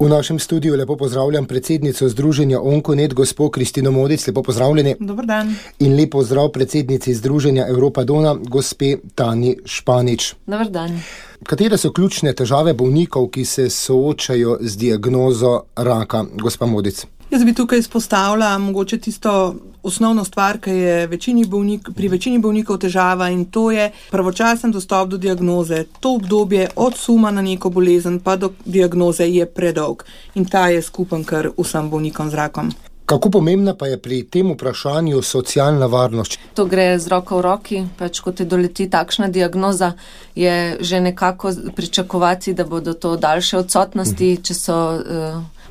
V našem studiu lepo pozdravljam predsednico Združenja Onkonet, gospo Kristino Modic, lepo pozdravljeni. Dober dan. In lepo pozdrav predsednici Združenja Evropa Dona, gospe Tanji Španič. Dober dan. Katere so ključne težave bolnikov, ki se soočajo z diagnozo raka, gospa Modic? Jaz bi tukaj izpostavila mogoče tisto osnovno stvar, ki je pri večini bolnikov težava, in to je pravočasen dostop do diagnoze. To obdobje od suma na neko bolezen pa do diagnoze je predolg in ta je skupen kar vsem bolnikom z rakom. Kako pomembna pa je pri tem vprašanju socialna varnost? To gre z roko v roki, ko te doleti takšna diagnoza, je že nekako pričakovati, da bodo to daljše odsotnosti, če so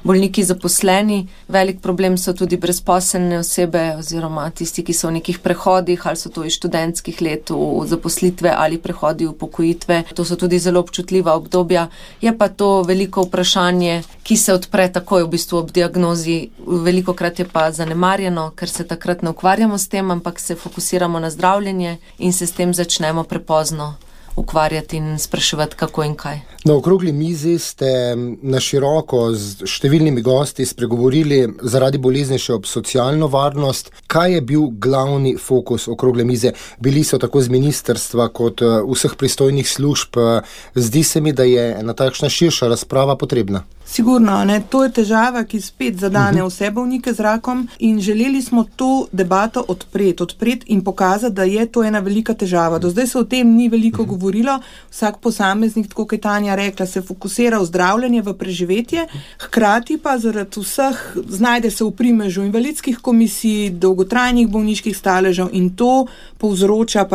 bolniki zaposleni. Velik problem so tudi brezposelne osebe oziroma tisti, ki so v nekih prehodih, ali so to iz študentskih let v zaposlitve ali prehodi v upokojitve. To so tudi zelo občutljiva obdobja. Je pa to veliko vprašanje, ki se odpre takoj v bistvu ob diagnozi. Velikokrat je pa zanemarjeno, ker se takrat ne ukvarjamo s tem, ampak se fokusiramo na zdravljenje in se s tem začnemo prepozno ukvarjati in spraševati, kako in kaj. Na okrogli mizi ste na široko z številnimi gosti spregovorili zaradi bolezni še ob socialno varnost. Kaj je bil glavni fokus okrogle mize? Bili so tako z ministrstva kot vseh pristojnih služb. Zdi se mi, da je ena takšna širša razprava potrebna. Sigurno, ne? To je težava, ki spet zadane vse bolnike z rakom, in želeli smo to debato odpreti in pokazati, da je to ena velika težava. Do zdaj se o tem ni veliko govorilo. Vsak posameznik, tako kot je Tanja rekla, se fokusira v zdravljenje, v preživetje, hkrati pa zaradi vseh znajde se v primežu invalidskih komisij, dolgotrajnih bolniških staležev, in to povzroča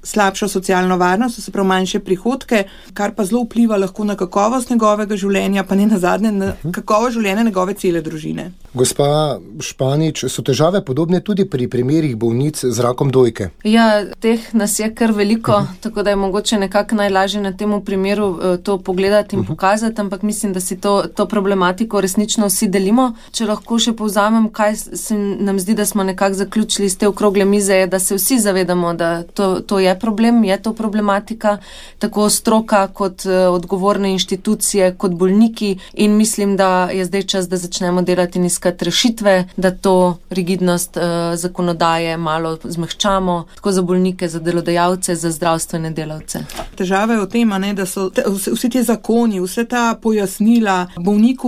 slabšo socialno varnost, se pravi manjše prihodke, kar pa zelo vpliva lahko na kakovost njegovega življenja, pa ne nazadnje na kakovost življenja njegove cele družine. Gospa Španič, so težave podobne tudi pri primerih bolnic z rakom dojke? Ja, teh nas je kar veliko, tako da je mogoče nekako najlažje na tem primeru to pogledati in pokazati, ampak mislim, da si to problematiko resnično vsi delimo. Če lahko še povzamem, kaj se nam zdi, da smo nekako zaključili iz te okrogle mize, je, da se vsi zavedamo, da to je problem, je to problematika, tako stroka kot odgovorne inštitucije, kot bolniki, in mislim, da je zdaj čas, da začnemo delati in iskati rešitve, da to rigidnost zakonodaje malo zmehčamo, tako za bolnike, za delodajalce, za zdravstvene delavce. Težava je v tem, da so vsi ti zakoni, vse ta pojasnila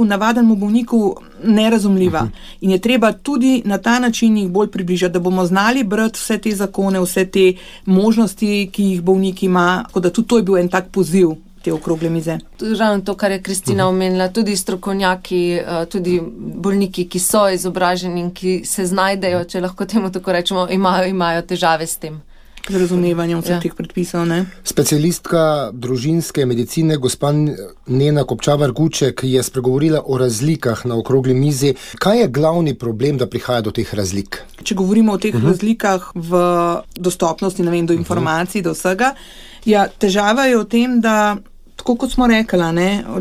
navadnemu bolniku nerazumljiva. In je treba tudi na ta način jih bolj približati, da bomo znali brati vse te zakone, vse te možnosti, ki jih bolnik ima, tako da tudi to je bil en tak poziv te okrogle mize. Ravno to, kar je Kristina omenila, tudi strokovnjaki, tudi bolniki, ki so izobraženi in ki se znajdejo, če lahko temu tako rečemo, imajo težave s tem. Z razumevanjem vseh teh predpisov, ne? Specialistka družinske medicine, gospa Nena Kopčavar-Guček, je spregovorila o razlikah na okrogli mizi. Kaj je glavni problem, da prihaja do teh razlik? Če govorimo o teh razlikah v dostopnosti, do informacij, do vsega, težava je v tem, da tako kot smo rekli,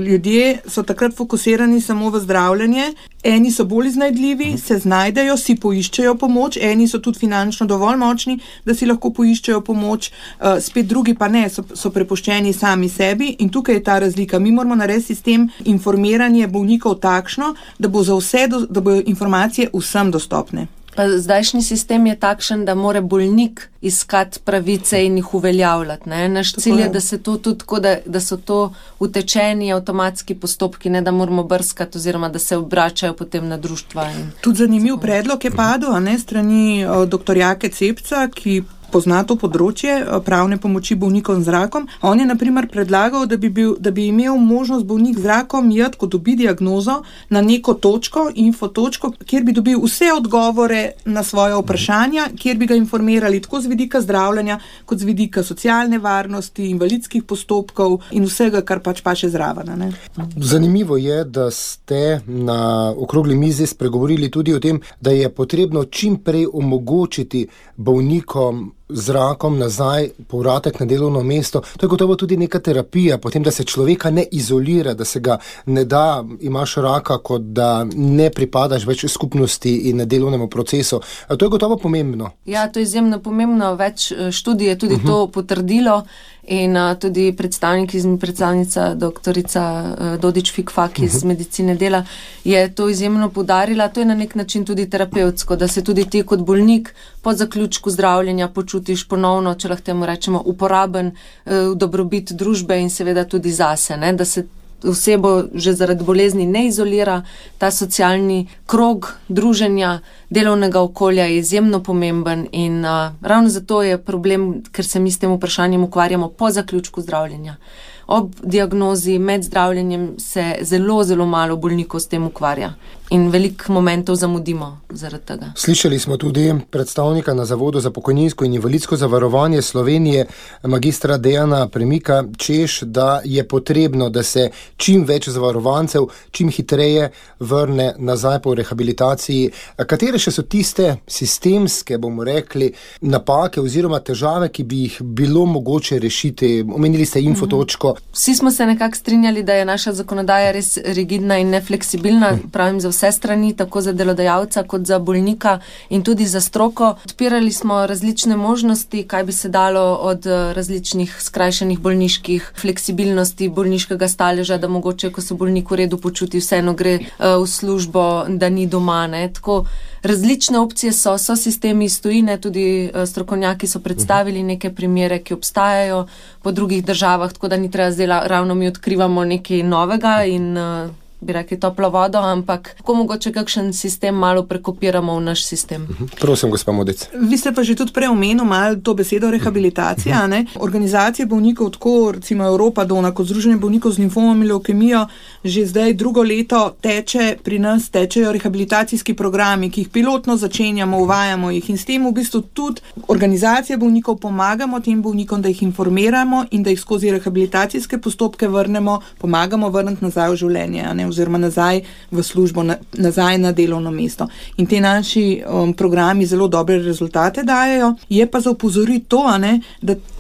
ljudje so takrat fokusirani samo v zdravljenje, eni so bolj iznajdljivi, se znajdejo, si poiščejo pomoč, eni so tudi finančno dovolj močni, da si lahko poiščejo pomoč, spet drugi pa ne, so prepuščeni sami sebi, in tukaj je ta razlika. Mi moramo narediti sistem informiranja bolnikov takšno, da bodo informacije vsem dostopne. Pa zdajšnji sistem je takšen, da mora bolnik iskati pravice in jih uveljavljati. Naš cilj je, da se to tudi tako, da so to utečeni avtomatski postopki, ne da moramo brskati oziroma da se obračajo potem na društva. Tudi zanimiv predlog je padel, strani dr. Jake Cepca, ki pozna to področje pravne pomoči bolnikom z rakom. On je na primer predlagal, da bi imel možnost bolnik z rakom iti, ko dobi diagnozo, na neko točko, infotočko, kjer bi dobil vse odgovore na svoje vprašanja, kjer bi ga informirali tako z vidika zdravljenja, kot z vidika socialne varnosti, invalidskih postopkov in vsega, kar paše zraven. Zanimivo je, da ste na okrogli mizi spregovorili tudi o tem, da je potrebno čim prej omogočiti bolnikom z rakom nazaj povratek na delovno mesto. To je gotovo tudi neka terapija, potem, da se človeka ne izolira, da se ga ne da, imaš raka, kot da ne pripadaš več skupnosti in delovnemu procesu. To je gotovo pomembno. Ja, to je izjemno pomembno. Več študij je tudi to potrdilo In tudi predstavnica doktorica Dodič Fikfak iz medicine dela je to izjemno poudarila. To je na nek način tudi terapevtsko, da se tudi ti kot bolnik po zaključku zdravljenja počutiš ponovno, če lahko temu rečemo, uporaben v dobrobit družbe in seveda tudi zase, ne? Da se osebo že zaradi bolezni ne izolira. Ta socialni krog druženja, delovnega okolja je izjemno pomemben in ravno zato je problem, ker se mi s tem vprašanjem ukvarjamo po zaključku zdravljenja. Ob diagnozi, med zdravljenjem se zelo, zelo malo bolnikov s tem ukvarja in veliko momentov zamudimo zaradi tega. Slišali smo tudi predstavnika na Zavodu za pokojninsko in invalidsko zavarovanje Slovenije, magistra Dejana Premika, češ, da je potrebno, da se čim več zavarovancev čim hitreje vrne nazaj po rehabilitaciji. Katere še so tiste sistemske, bomo rekli, napake oziroma težave, ki bi jih bilo mogoče rešiti? Omenili ste infotočko. Vsi smo se nekako strinjali, da je naša zakonodaja res rigidna in nefleksibilna, pravim za vse strani, tako za delodajalca kot za bolnika in tudi za stroko. Odpirali smo različne možnosti, kaj bi se dalo od različnih skrajšanih bolniških fleksibilnosti, bolniškega staleža, da mogoče, ko se bolnik v redu počuti, vseeno gre v službo, da ni doma, ne. Tako različne opcije so sistemi iz tujine, tudi strokovnjaki so predstavili neke primere, ki obstajajo po drugih državah, tako da ni treba zdaj ravno mi odkrivamo nekaj novega in bi rekli toplo vodo, ampak kako mogoče kakšen sistem malo prekopiramo v naš sistem. Prosim, gospa Modic. Vi ste pa že tudi prej omenili malo to besedo rehabilitacija, ne? Organizacije bolnikov, tako recimo Evropa Dona, kot Združenje bolnikov z limfomom in levkemijo, že zdaj drugo leto pri nas tečejo rehabilitacijski programi, ki jih pilotno začenjamo, uvajamo jih in s tem v bistvu tudi organizacije bolnikov pomagamo tem bolnikom, da jih informiramo in da jih skozi rehabilitacijske postopke pomagamo vrniti nazaj v življenje, ne? Oziroma nazaj v službo, nazaj na delovno mesto. In te naši programi zelo dobre rezultate dajejo. Je pa za opozoriti to,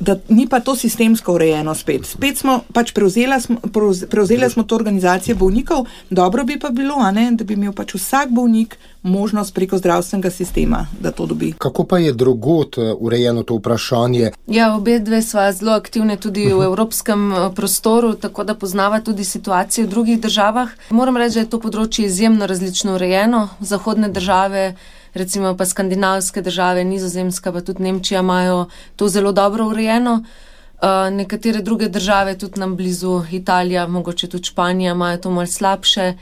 da ni pa to sistemsko urejeno spet. Spet smo pač prevzeli smo to organizacije bolnikov, dobro bi pa bilo, da bi imel pač vsak bolnik možnost preko zdravstvenega sistema, da to dobi. Kako pa je drugod urejeno to vprašanje? Ja, obe dve sva zelo aktivne tudi v evropskem prostoru, tako da poznava tudi situacijo v drugih državah. Moram reči, da je to področje izjemno različno urejeno. Zahodne države, recimo pa skandinavske države, Nizozemska pa tudi Nemčija imajo to zelo dobro urejeno. Nekatere druge države, tudi nam blizu Italija, mogoče tudi Španija, imajo to malo slabše.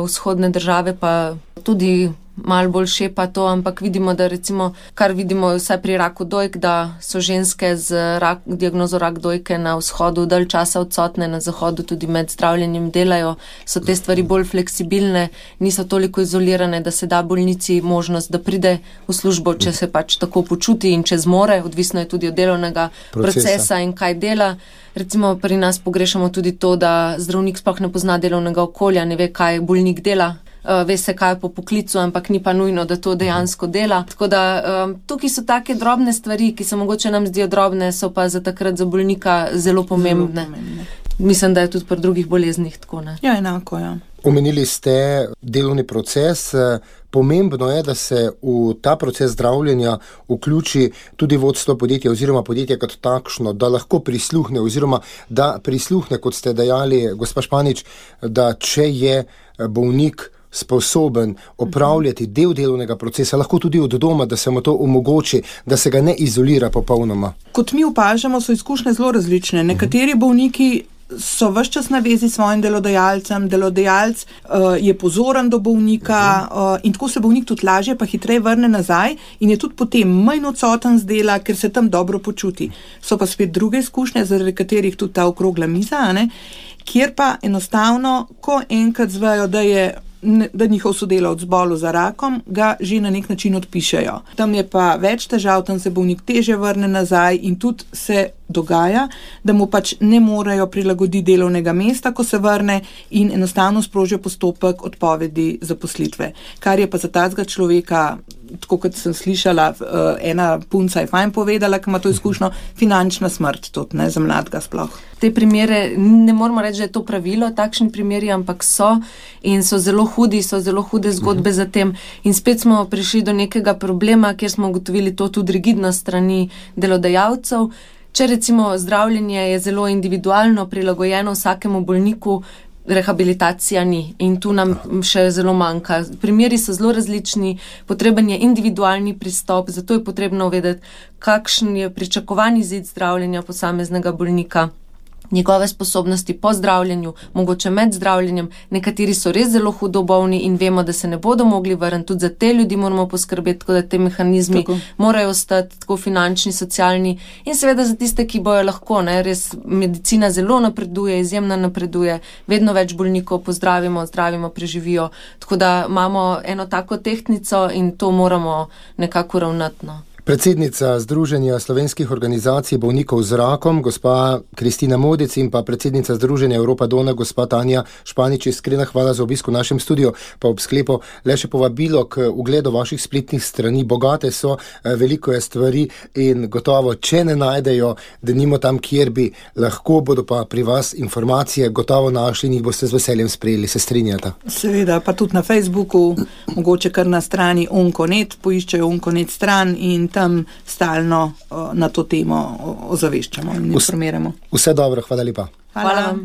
Vzhodne države pa tudi malo bolj šepa to, ampak vidimo, da recimo, kar vidimo vsaj pri raku dojk, da so ženske z diagnozo rak dojke na vzhodu dalj časa odsotne, na zahodu tudi med zdravljenjem delajo, so te stvari bolj fleksibilne, niso toliko izolirane, da se da bolnici možnost, da pride v službo, če se pač tako počuti in če zmore, odvisno je tudi od delovnega procesa in kaj dela. Recimo pri nas pogrešamo tudi to, da zdravnik sploh ne pozna delovnega okolja, ne ve, kaj bolnik dela. Ve se, kaj je po poklicu, ampak ni pa nujno, da to dejansko dela. Tako da tukaj so take drobne stvari, ki se mogoče nam zdijo drobne, so pa za takrat za bolnika zelo pomembne. Mislim, da je tudi pri drugih boleznih tako, ne? Ja, enako, ja. Omenili ste delovni proces. Pomembno je, da se v ta proces zdravljenja vključi tudi vodstvo podjetja oziroma podjetje kot takšno, da lahko prisluhne oziroma da prisluhne, kot ste dejali, gospa Španič, da če je bolnik sposoben opravljati del delovnega procesa, lahko tudi od doma, da se mu to omogoči, da se ga ne izolira popolnoma. Kot mi opažamo, so izkušnje zelo različne. Nekateri bolniki so ves čas na vezi s svojim delodajalcem, delodajalec je pozoren do bolnika in tako se bolnik tudi lažje pa hitreje vrne nazaj in je tudi potem manj odsoten z dela, ker se tam dobro počuti. So pa spet druge izkušnje, zaradi katerih tudi ta okrogla miza, kjer pa enostavno, ko enkrat zvejo, da njihov sodelavec zbolel za rakom, ga že na nek način odpišejo. Tam je pa več težav, tam se bolnik težje vrne nazaj in tudi se dogaja, da mu pač ne morejo prilagoditi delovnega mesta, ko se vrne in enostavno sprožijo postopek odpovedi zaposlitve. Kar je pa za tazga človeka, tako kot sem slišala, ena punca je fajn povedala, ki ima to izkušnjo, finančna smrt tudi, ne, za mladega sploh. Te primere, ne moramo reči, da je to pravilo, takšni primeri, ampak so in so zelo hude zgodbe za tem. In spet smo prišli do nekega problema, kjer smo ugotovili to tudi rigidnost strani delodajalcev. Če recimo zdravljenje je zelo individualno, prilagojeno vsakemu bolniku, rehabilitacija ni in tu nam še zelo manjka. Primeri so zelo različni, potreben je individualni pristop, zato je potrebno vedeti, kakšen je pričakovani izid zdravljenja posameznega bolnika, njegove sposobnosti po zdravljenju, mogoče med zdravljenjem. Nekateri so res zelo hudo bolni in vemo, da se ne bodo mogli vrniti. Tudi za te ljudi moramo poskrbeti, tako da te mehanizmi morajo ostati tako finančni, socialni in seveda za tiste, ki bojo lahko. Res medicina zelo napreduje, izjemno napreduje, vedno več bolnikov pozdravimo, zdravimo, preživijo. Tako da imamo eno tako tehtnico in to moramo nekako ravnati. Predsednica Združenja slovenskih organizacij bolnikov z rakom, gospa Kristina Modic, in pa predsednica Združenja Evropa Dona, gospa Tanja Španič. Iskrena hvala za obisk v našem studiu, pa ob sklepu le še povabilo k ugledu vaših spletnih strani. Bogate so, veliko je stvari in gotovo, če ne najdejo, da nimo tam, kjer bi lahko, bodo pa pri vas informacije gotovo našli in jih boste z veseljem sprejeli. Se strinjate? Seveda, pa tudi na Facebooku, mogoče kar na strani Onkonet, poiščejo Onkonet stran in tam stalno na to temo ozaveščamo in informiramo. Vse dobro, hvala lepa. Hvala vam.